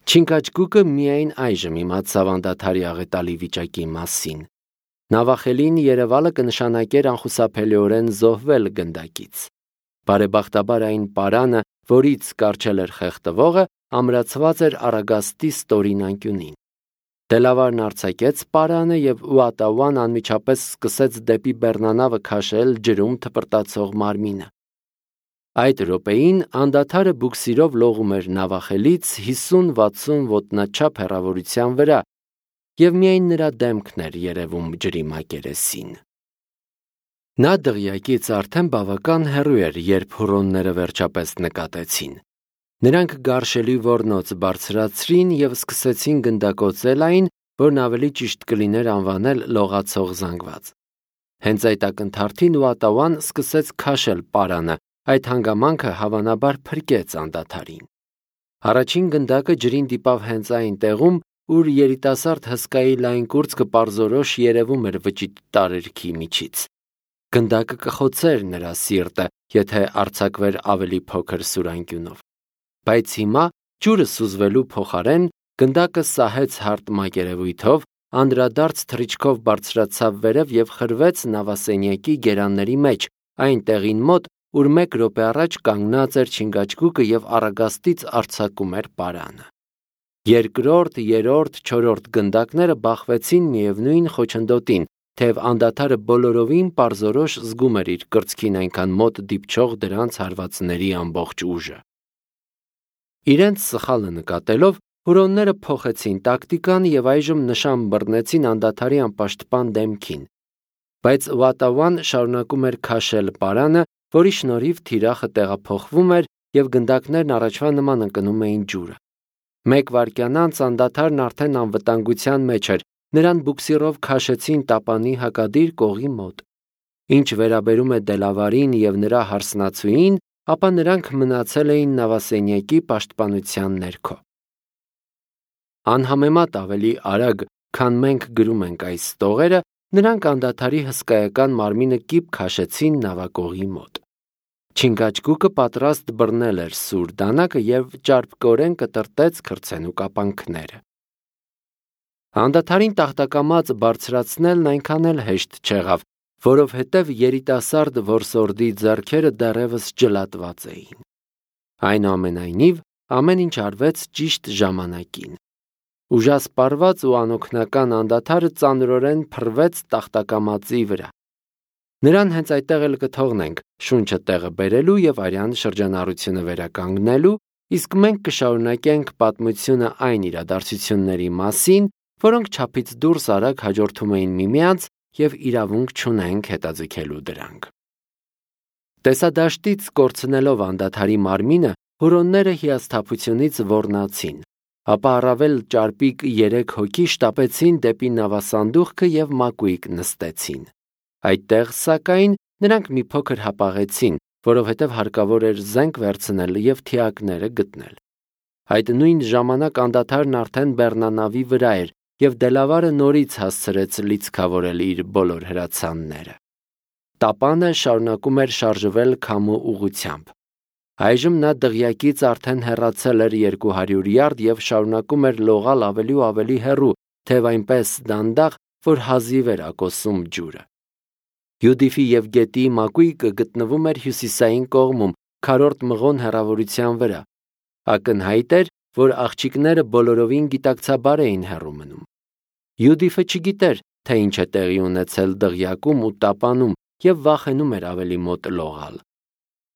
Չինգաչգուկը միայն այժմ իմացավ անդադարի աղետալի վիճակի մասին։ Նավախելին երևալը կնշանակեր անխուսափելիորեն զոհվել գնդակից։ Բարեբախտաբար այն պարանը, որից կառչել էր խեղդվողը, ամրացված էր Արագաստի ստորին անկյունին։ Դելավարն արձակեց պարանը և Ուատաուան անմիջապես սկսեց դեպի բեռնանավը քաշել ջրում թպրտացող մարմինը։ Այդ րոպեին անդադարը բուքսիրով լողում էր նավախելից 50-60 ոտնաչափ հեռավորության վրա, և միայն նրա դեմքն էր երևում ջրի մակերեսին։ Նա դղյակից արդեն բավական հեռու էր, երբ հուռոնները վերջապես նկատեցին։ Նրանք գարշելի ոռնոց բարձրացրին և սկսեցին գնդակոծել այն, որն ավելի ճիշտ կլիներ անվանել լողացող զանգված։ Հենց այդ ակնթարթին Ուատաուան սկսեց քաշել պարանը, այդ հանգամանքը հավանաբար փրկեց անդադարին։ Առաջին գնդակը ջրին դիպավ հենց այն տեղում, ուր երիտասարդ հսկայի լայն կուրծքը պարզորոշ երևում էր վճիտ տարերքի միջից։ Գնդակը կխոցեր նրա սիրտը, եթե արձակվեր ավելի փոքր սուրանկյունով։ Բայց հիմա, ջուրը սուզվելու փոխարեն, գնդակը սահեց հարթ մակերևույթով, անդրադարձ թռիչքով բարձրացավ վերև և խրվեց նավասենյակի գերանների մեջ, այն տեղին մոտ, ուր 1 րոպե առաջ կանգնած էր Չինգաչգուկը և Արագաստից արձակում էր պարանը։ Երկրորդ, երրորդ, չորրորդ գնդակները բախվեցին միևնույն խոչընդոտին, թեև անդադարը բոլորովին պարզորոշ զգում էր իր կրծքին այնքան մոտ դիպչող դրանց հարվածների ամբողջ ուժը։ Իրենց սխալը նկատելով, հուռոնները փոխեցին տակտիկան և այժմ նշան բռնեցին անդադարի անպաշտպան դեմքին։ Բայց Ուատաուան շարունակում էր քաշել պարանը, որի շնորհիվ թիրախը տեղափոխվում էր և գնդակներն առաջվա նման ընկնում էին ջուրը։ 1 վայրկյան անց անդադարն արդեն անվտանգության մեջ էր, նրան բուքսիրով քաշեցին տապանի հակադիր կողի մոտ։ Ինչ վերաբերում է Դելավարին և նրա հարսնացուին, ապա նրանք մնացել էին նավասենյակի պաշտպանության ներքո։ Անհամեմատ ավելի արագ, քան մենք գրում ենք այս տողերը, նրանք անդադարի հսկայական մարմինը կիպ քաշեցին նավակողի մոտ։ Չինգաչգուկը պատրաստ բռնել էր սուր դանակը և ճարպկորեն կտրտեց քրտսենու կապանքները։ Անդադարին տախտակամած բարձրացնելն այնքան էլ հեշտ չեղավ, որովհետև երիտասարդ որսորդի ձեռքերը դեռևս ջլատված էին։ Այնուամենայնիվ, ամեն ինչ արվեց ճիշտ ժամանակին։ Ուժասպառված ու անօգնական անդադարը ծանրորեն փռվեց տախտակամածի վրա։ Նրան հենց այդտեղ էլ կթողնենք, շունչը տեղը բերելու և արյան շրջանառությունը վերականգնելու, իսկ մենք կշարունակենք պատմությունը այն իրադարձությունների մասին, որոնք չափից դուրս արագ հաջորդում էին միմյանց և իրավունք չունենք հետաձգելու դրանք։ Տեսադաշտից կորցնելով անդադարի մարմինը, հուռոնները հիասթափությունից ոռնացին, ապա առավել ճարպիկ 3 հոգի շտապեցին դեպի նավասանդուղքը և մակույկ նստեցին։ Այդտեղ, սակայն, նրանք մի փոքր հապաղեցին, որովհետև հարկավոր էր զենք վերցնել և թիակները գտնել։ Այդ նույն ժամանակ անդադարն արդեն բեռնանավի վրա էր, և Դելավարը նորից հասցրեց լիցքավորել իր բոլոր հրացանները։ Տապանը շարունակում էր շարժվել քամու ուղղությամբ։ Այժմ նա դղյակից արդեն հեռացել էր 200 յարդ և շարունակում էր լողալ ավելի ու ավելի հեռու, թեև այնպես դանդաղ, որ հազիվ էր ակոսում ջուրը։ Յուդիֆի և գետի մակույկը գտնվում էր հյուսիսային կողմում, քառորդ մղոն հեռավորության վրա։ Ակնհայտ էր, որ աղջիկները բոլորովին գիտակցաբար էին հեռու մնում։ Յուդիֆը չգիտեր, թե ինչ է տեղի ունեցել դղյակում ու տապանում և վախենում էր ավելի մոտ լողալ։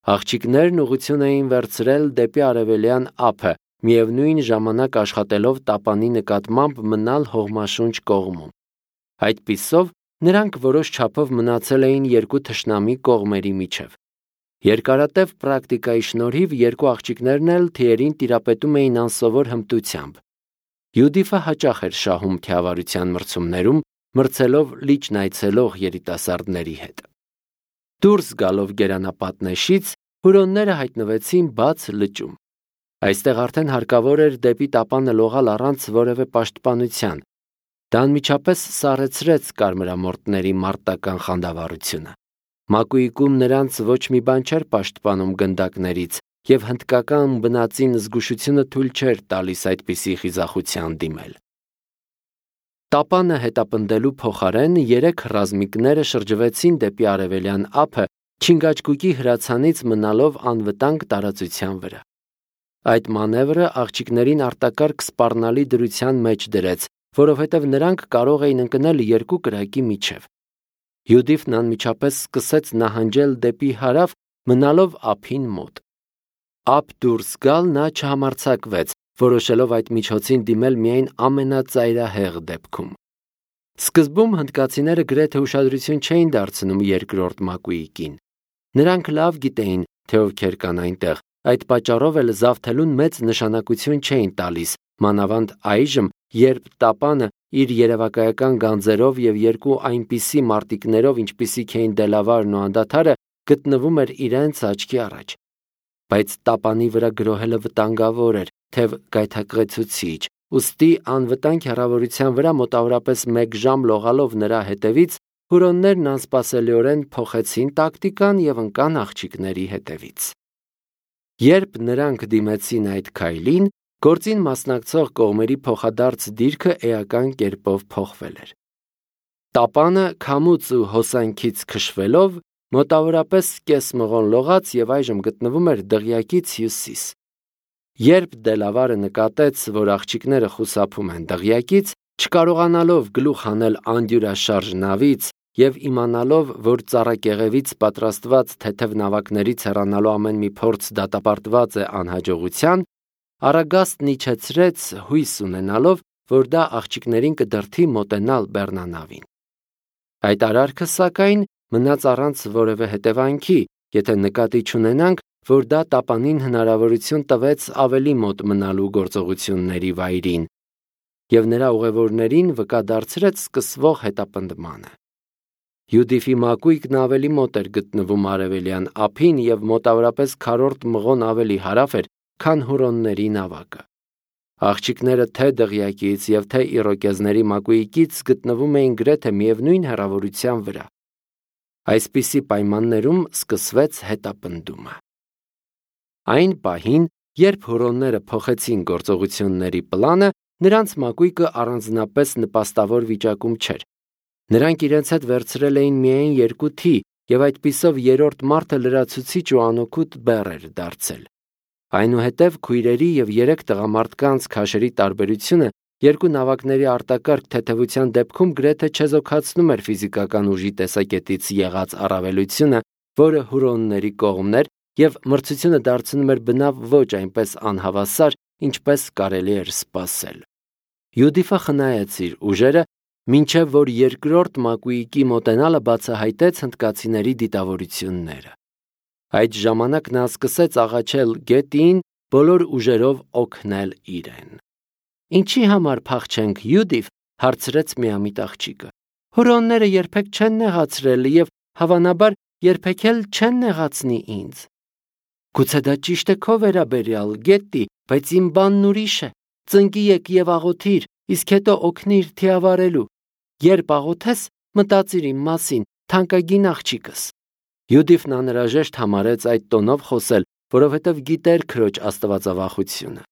Աղջիկներն ուղղություն էին վերցրել դեպի արևելյան ափը, միևնույն ժամանակ աշխատելով տապանի նկատմամբ մնալ հողմաշունչ կողմում։ Այդպիսով նրանք որոշ չափով մնացել էին երկու թշնամի կողմերի միջև։ Երկարատև պրակտիկայի շնորհիվ երկու աղջիկներն էլ թիերին տիրապետում էին անսովոր հմտությամբ։ Յուդիֆը հաճախ էր շահում թիավարության մրցումներում, մրցելով լիճն այցելող երիտասարդների հետ։ Դուրս գալով գերանապատնեշից, հուռոնները հայտնվեցին բաց լճում։ Այստեղ արդեն հարկավոր էր դեպի տապանը լողալ առանց որևէ պաշտպանության։ Դա անմիջապես սառեցրեց կարմրամորթների մարտական խանդավառությունը։ Մակույկում նրանց ոչ մի բան չէր պաշտպանում գնդակներից, եւ հնդկական բնածին զգուշությունը թույլ չէր տալիս այդպիսի խիզախության դիմել։ Տապանը հետապնդելու փոխարեն 3 ռազմիկները շրջվեցին դեպի արևելյան ափը, Չինգաչգուկի հրացանից մնալով անվտանգ տարածության վրա։ Այդ մանևրը աղջիկներին արտակարգ սպառնալի դրության մեջ դրեց, որովհետև նրանք կարող էին ընկնել 2 կրակի միջև։ Յուդիֆն անմիջապես սկսեց նահանջել դեպի հարավ, մնալով ափին մոտ։ Ափ դուրս գալ նա չհամարձակվեց, որոշելով այդ միջոցին դիմել միայն ամենածայրահեղ դեպքում։ Սկզբում հնդկացիները գրեթե ուշադրություն չէին դարձնում երկրորդ մակույիկին։ Նրանք լավ գիտեին, թե ովքեր կան այնտեղ, այդ պատճառով էլ զավթելուն մեծ նշանակություն չէին տալիս, մանավանդ այժմ, երբ Տապանը իր երևակայական գանձերով եւ 2 այնպիսի մարտիկներով, ինչպիսիք էին Դելավարն ու անդադարը, գտնվում էր իրենց աչքի առաջ։ Բայց Տապանի վրա գրոհելը վտանգավոր էր, թեև գայթակղեցուցիչ, ուստի անվտանգ հեռավորության վրա մոտավորապես 1 ժամ լողալով նրա հետևից հուրոններն անսպասելիորեն փոխեցին տակտիկան եւ ընկան աղջիկների հետևից։ Երբ նրանք դիմեցին այդ քայլին, գործին մասնակցող կողմերի փոխադարձ դիրքը էական կերպով փոխվել էր։ Տապանը քամուց ու հոսանքից քշվելով մոտավորապես կես մղոն լողաց եւ այժմ գտնվում էր դղյակից հյուսիս։ Երբ Դելավարը նկատեց, որ աղջիկները խուսափում են դղյակից, չկարողանալով գլուխ հանել անդյուրաշարժ նավից եւ իմանալով, որ ծառակեղևից պատրաստված թեթև նավակներից հեռանալու ամեն մի փորձ դատապարտված է անհաջողության, Արագաստն իջեցրեց հույս ունենալով, որ դա աղջիկներին կդրթի մոտենալ բեռնանավին։ Այդ արարքը, սակայն, մնաց առանց որևէ հետևանքի, եթե նկատի չունենանք, որ դա Տապանին հնարավորություն տվեց ավելի մոտ մնալու գործողությունների վայրին եւ նրա ուղևորներին վկա դարձրեց սկսվող հետապնդմանը։ Յուդիֆի մակույկն ավելի մոտ էր գտնվում արևելյան ափին եւ մոտավորապես 4 մղոն ավելի հարավ էր, քան հուրոնների նավակը։ Աղջիկները թե դղյակից եւ թե իրոկեզների մակույկից գտնվում էին գրեթե միևնույն հեռավորության վրա։ Այսպիսի պայմաններում սկսվեց հետապնդումը։ Այն պահին, երբ հուրոնները փոխեցին գործողությունների պլանը, նրանց մակույկը առանձնապես նպաստավոր վիճակում չէր։ Նրանք իրենց հետ վերցրել էին միայն 2 թի եւ այդպիսով երրորդ մարդը լրացուցիչ ու անօգուտ բեռ էր դարձել։ Այնուհետև քույրերի եւ 3 տղամարդկանց քաշերի տարբերությունը 2 նավակների արտակարգ թեթևության դեպքում գրեթե չեզոքացնում էր ֆիզիկական ուժի տեսակետից եղած առավելությունը, որը հուրոնների կողմն էր եւ մրցությունը դարձնում էր բնավ ոչ այնպես անհավասար, ինչպես կարելի էր սպասել։ Յուդիֆը խնայեց իր ուժերը, մինչև որ երկրորդ մակույիկի մոտենալը բացահայտեց հնդկացիների դիտավորությունները։ Այդ ժամանակ նա սկսեց աղաչել գետին, բոլոր ուժերով օգնել իրեն։ Ինչի համար փախչենք, Յուդիֆ, հարցրեց միամիտ աղջիկը։ Հուրոնները երբեք չեն նեղացրել եւ հավանաբար երբեք էլ չեն նեղացնի ինձ։ Գուցե դա ճիշտ է քո վերաբերյալ, Գետտի, բայց իմ բանն ուրիշ է։ Ծնկի եք եւ աղոթիր, իսկ հետո օգնիր թիավարելու։ Երբ աղոթես, մտածիր իմ մասին, թանկագին աղջիկս։ Յուդիֆն անհրաժեշտ համարեց այդ տոնով խոսել, որովհետև գիտեր քրոջ աստվածավախությունը։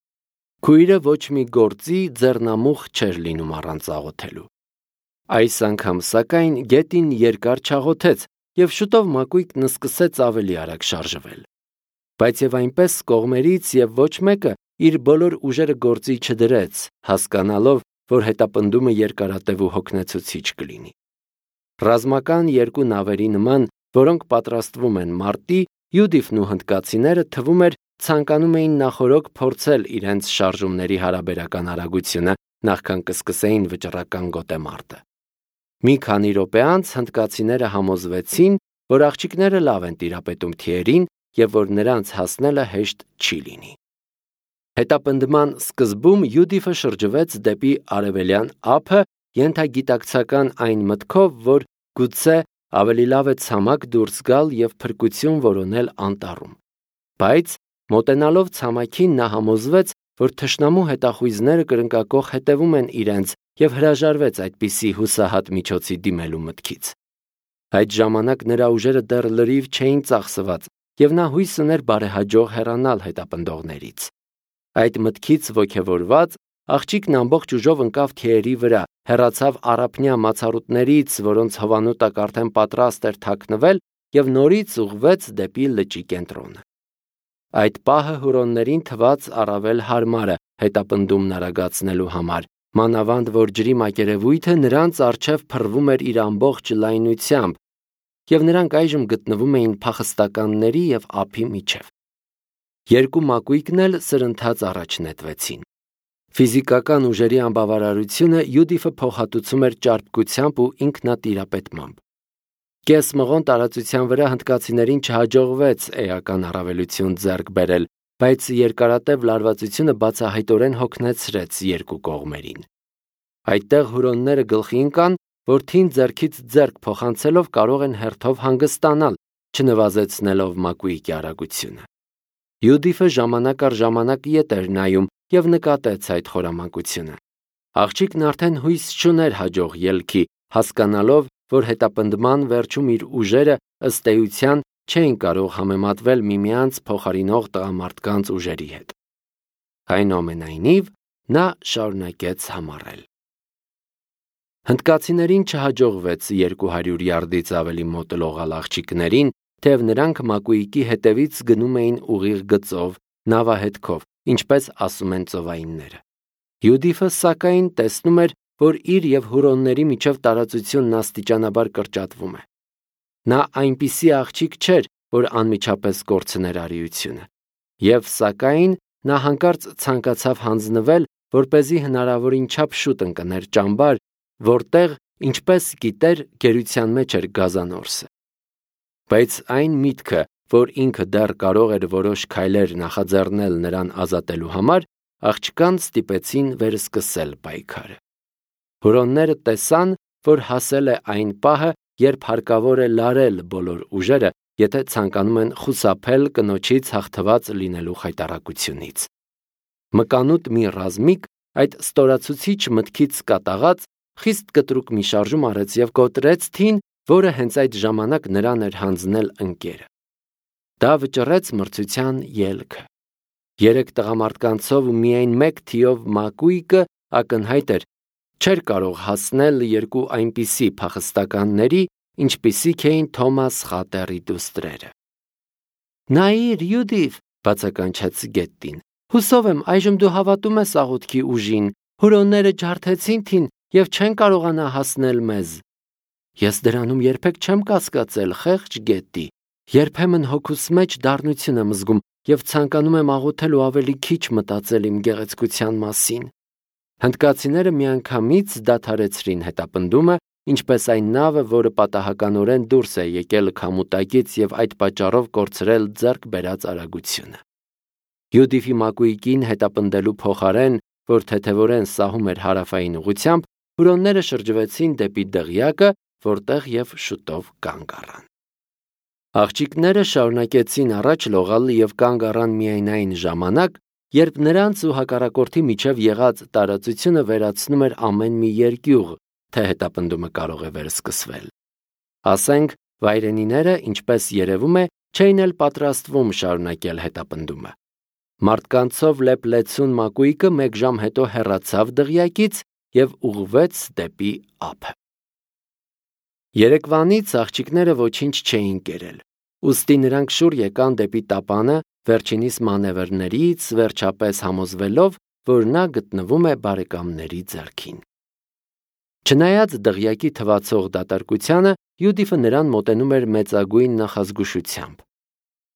Քույրը ոչ մի գործի ձեռնամուխ չէր լինում առանց աղոթելու։ Այս անգամ, սակայն, գետին երկար չաղոթեց եւ շուտով մակույկն սկսեց ավելի արագ շարժվել։ Բայց եւ այնպես կողմերից եւ ոչ մեկը իր բոլոր ուժերը գործի չդրեց, հասկանալով, որ հետապնդումը երկարատև ու հոգնեցուցիչ կլինի։ Ռազմական 2 նավերի նման, որոնք պատրաստվում են մարտի, Յուդիֆն ու հնդկացիները թվում էր ցանկանում էին նախորոք փորձել իրենց շարժումների հարաբերական արագությունը, նախքան կսկսեին վճռական գոտեմարտը։ Մի քանի րոպե անց հնդկացիները համոզվեցին, որ աղջիկները լավ են տիրապետում թիերին եւ որ նրանց հասնելը հեշտ չի լինի։ Հետապնդման սկզբում Յուդիֆը շրջվեց դեպի արևելյան ափը, ենթագիտակցական այն մտքով, որ գուցե ավելի լավ է ցամաք դուրս գալ եւ փրկություն որոնել անտառում։ Բայց մոտենալով ցամաքին նա համոզվեց, որ թշնամու հետախույզները կրնկակող հետևում են իրենց եւ հրաժարվեց այդպիսի հուսահատ միջոցի դիմելու մտքից։ Այդ ժամանակ նրա ուժերը դեռ լրիվ չէին ծախսված եւ նա հույս ուներ բարեհաջող հեռանալ հետապնդողներից։ Այդ մտքից ոգևորված աղջիկն ամբողջ ուժով ընկավ թիերի վրա, հեռացավ առափնյա մացառուտներից, որոնց հովանուտակ արդեն պատրաստ էր թաքնվել, եւ նորից ուղղվեց դեպի լճի կենտրոնը։ Այդ պահը հուրոններին թվաց առավել հարմարը հետապնդումն արագացնելու համար, մանավանդ որ ջրի մակերևույթը նրանց առջև փռվում էր իր ամբողջ լայնությամբ, եւ նրանք այժմ գտնվում էին փախստականների եւ ափի միջև։ Երկու մակույկն էլ սրընթաց առաջ նետվեցին։ Ֆիզիկական ուժերի անբավարարությունը Յուդիֆը փոխհատուցում էր ճարպկությամբ ու ինքնատիրապետմամբ։ Կես մղոն տարածության վրա հնդկացիներին չհաջողվեց էական առավելություն ձեռք բերել, բայց երկարատև լարվածությունը բացահայտորեն հոգնեցրեց երկու կողմերին։ Այդտեղ հուրոնները գլխի ընկան, որ թին ձեռքից ձեռք փոխանցելով կարող են հերթով հանգստանալ, չնվազեցնելով մակույկի արագությունը։ Յուդիֆը ժամանակ առ ժամանակ ետ էր նայում եւ նկատեց այդ խորամանկությունը։ Աղջիկն արդեն հույս չուներ հաջող ելքի, հասկանալով, որ հետապնդման վերջում իր ուժերը ըստ էության չէին կարող համեմատվել միմյանց փոխարինող տղամարդկանց ուժերի հետ։ Այնուամենայնիվ, նա շարունակեց համառել։ Հնդկացիներին չհաջողվեց 200 յարդից ավելի մոտլողալ աղջիկներին, թեև նրանք մակույկի հետևից գնում էին ուղիղ գծով, նավահետքով, ինչպես ասում են ծովայինները։ Յուդիֆը սակայն տեսնում էր, որ իր եւ հուրոնների միջև տարածությունն աստիճանաբար կրճատվում է։ Նա այնպիսի աղջիկ չէր, որ անմիջապես կորցներ արիությունը։ Եվ սակայն նա հանկարծ ցանկացավ հանձնվել, որպեսզի հնարավորին չափ շուտ ընկներ ճամբար, որտեղ, ինչպես գիտեր, գերության մեջ էր գազանորսը։ Բայց այն միտքը, որ ինքը դեռ կարող էր որոշ քայլեր նախաձեռնել նրան ազատելու համար, աղջկան ստիպեցին վերսկսել պայքարը։ Հուրոնները տեսան, որ հասել է այն պահը, երբ հարկավոր է լարել բոլոր ուժերը, եթե ցանկանում են խուսափել կնոջից հաղթված լինելու խայտառակությունից։ Մկանուտ մի ռազմիկ այդ ստորացուցիչ մտքից կատաղած խիստ կտրուկ մի շարժում արեց եւ կոտրեց թին, որը հենց այդ ժամանակ նրան էր հանձնել ընկերը։ Դա վճռեց մրցության ելքը։ 3 տղամարդկանցով ու միայն 1 թիով մակույկը ակնհայտ էր, չէր կարող հասնել երկու այնպիսի փախստականների, ինչպիսիք էին Թոմաս Խատերի դուստրերը։ «Նայիր, Յուդիֆ», բացականչեց Գետտին, «հուսով եմ այժմ դու հավատում ես աղոթքի ուժին, հուրոնները ջարդեցին թին եւ չեն կարողանա հասնել մեզ»։ Ես դրանում երբեք չեմ կասկածել, խեղճ Գետտի, երբեմն հոգուս մեջ դառնություն եմ զգում եւ ցանկանում եմ աղոթել ու ավելի քիչ մտածել իմ գեղեցկության մասին։ Հնդկացիները միանգամից դադարեցրին հետապնդումը, ինչպես այն նավը, որը պատահականորեն դուրս է եկել քամուտակից եւ այդ պատճառով կորցրել ձեռք բերած արագությունը։ Յուդիֆի մակույկին հետապնդելու փոխարեն, որ թեթևորեն սահում էր հարավային ուղությամբ, հուրոնները շրջվեցին դեպի դղյակը, որտեղ եւ շուտով կանգ առան։ Աղջիկները շարունակեցին առաջ լողալ եւ կանգ առան միայն այն ժամանակ, երբ նրանց ու հակառակորդի միջև եղած տարածությունը վերացնում էր ամեն մի երկյուղ, թե հետապնդումը կարող է վերսկսվել։ Ասենք, վայրենիները, ինչպես երևում է, չէին էլ պատրաստվում շարունակել հետապնդումը։ Մարդկանցով լեփլեցուն մակույկը 1 ժամ հետո հեռացավ դղյակից եւ ուղղվեց դեպի ափը։ Երեկվանից աղջիկները ոչինչ չէին կերել, ուստի նրանք շուռ եկան դեպի տապանը, վերջինիս մանևրներից վերջապես համոզվելով, որ նա գտնվում է բարեկամների ձեռքին։ Չնայած դղյակի թվացող դատարկությանը, Յուդիֆը նրան մոտենում էր մեծագույն նախազգուշությամբ։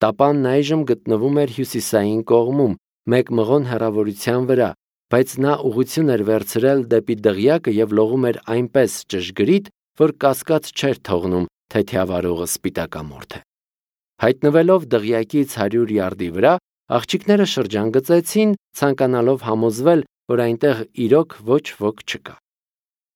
Տապանն այժմ գտնվում էր հյուսիսային կողմում, 1 մղոն հեռավորության վրա, բայց նա ուղղություն էր վերցրել դեպի դղյակը եւ լողում էր այնպես ճշգրիտ, որ կասկած չէր թողնում, թե թիավարողը սպիտակամորթ է։ Հայտնվելով դղյակից 100 յարդի վրա, աղջիկները շրջանգծեցին, ցանկանալով համոզվել, որ այնտեղ իրոք ոչ ոք չկա։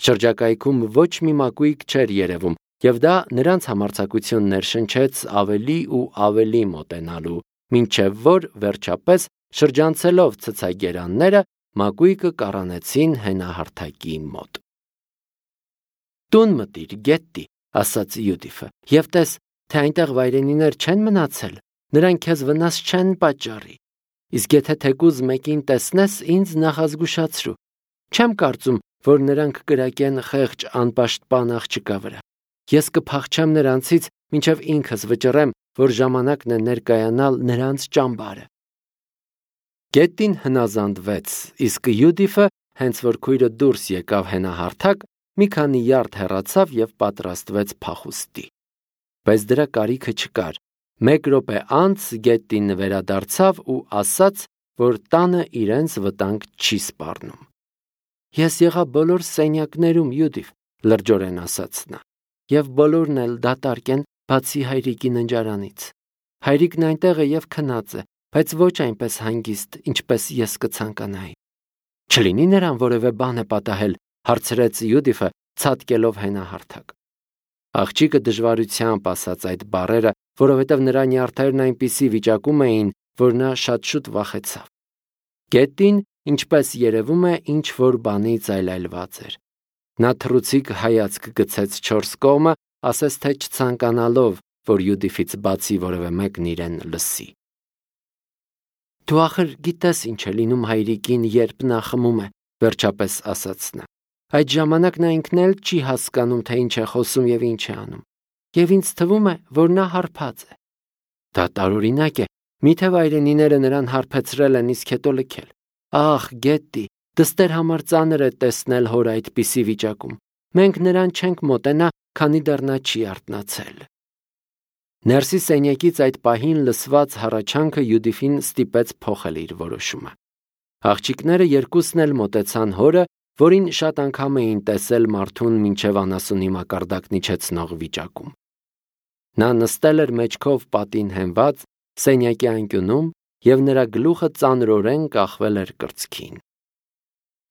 Շրջակայքում ոչ մի մակույկ չէր երևում, եւ դա նրանց համարձակությունն ներշնչեց ավելի ու ավելի մոտենալու, մինչև որ վերջապես շրջանցելով ցցագերանները մակույկը կառանեցին հենահարթակի մոտ։ «Տուն մտիր, Գետտի», ասաց Յուդիֆը, «եւ տես, թե այնտեղ վայրենիներ չեն մնացել»։ նրանք քեզ վնաս չեն պատճառի։ Իսկ եթե թեկուզ մեկին տեսնես, ինձ նախազգուշացրու։ Չեմ կարծում, որ նրանք կրակեն խեղճ անպաշտպան աղջկա վրա։ Ես կփախչեմ նրանցից, մինչև ինքս վճռեմ, որ ժամանակն է ներկայանալ նրանց ճամբարը։ Գետտին հնազանդվեց, իսկ Յուդիֆը, հենց որ քույրը դուրս եկավ հենահարթակ, մի քանի յարդ հեռացավ եւ պատրաստվեց փախուստի։ Բայց դրա կարիքը չկար։ 1 րոպե անց Գետտին վերադարձավ ու ասաց, որ տանը իրենց վտանգ չի սպառնում։ Ես եղա բոլոր սենյակներում, Յուդիֆ, լրջորեն ասաց նա, եւ բոլորն էլ դատարկ են, բացի հայրիկի ննջարանից։ Հայրիկն այնտեղ է եւ քնած է, բայց ոչ այնպես հանգիստ, ինչպես ես կցանկանայի։ Չլինի նրան որևէ բան է պատահել, հարցրեց Յուդիֆը, ցատկելով հենահարթակ։ Աղջիկը դժվարությամբ ասաց այդ բառերը, որովհետև նրա նյարդերն այնպիսի վիճակում էին, որ նա շատ շուտ վախեցավ։ Գետտին, ինչպես երևում է, ինչ որ բանից այլայլված էր։ Նա թռուցիկ հայացք գցեց 4 կողմը, ասես թե չցանկանալով, որ Յուդիֆից բացի որևէ մեկն իրեն լսի։ Դու ախր գիտես ինչ է լինում հայրիկին, երբ նա խմում է, վերջապես ասաց նա։ Այդ ժամանակ նա ինքն էլ չի հասկանում, թե ինչ է խոսում եւ ինչ է անում։ Եվ ինձ թվում է, որ նա հարբած է։ Դա տարօրինակ է, միթե վայրենիները նրան հարբեցրել են, իսկ հետո լքել։ Ախ, Գետտի, դստեր համար ծանր է տեսնել հոր այդպիսի վիճակում։ Մենք նրան չենք մոտենա, քանի դեռ նա չի արթնացել։ Ներսի սենյակից այդ պահին լսված հառաչանքը Յուդիֆին ստիպեց փոխել իր որոշումը։ Աղջիկները երկուսն էլ մոտեցան հորը, որին շատ անգամ էին տեսել մարդուն մինչև անասունի մակարդակն իջեցնող վիճակում։ Նա նստել էր մեջքով պատին հենված սենյակի անկյունում եւ նրա գլուխը ծանրորեն կախվել էր կրծքին։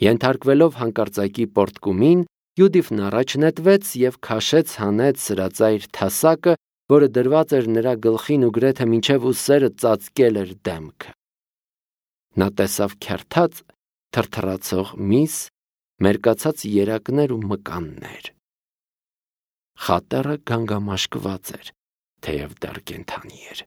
Ենթարկվելով հանկարծակի պորտկումին, Յուդիֆն առաջ նետվեց եւ քաշեց հանեց սրածայր թասակը, որը դրված էր նրա գլխին ու գրեթե մինչև ուսերը ծածկել էր դեմքը։ Նա տեսավ քերթած, թրթռացող միս, մերկացած երակներ ու մկաններ։ Խատերը գանգամաշկված էր, թեև դեռ կենդանի էր։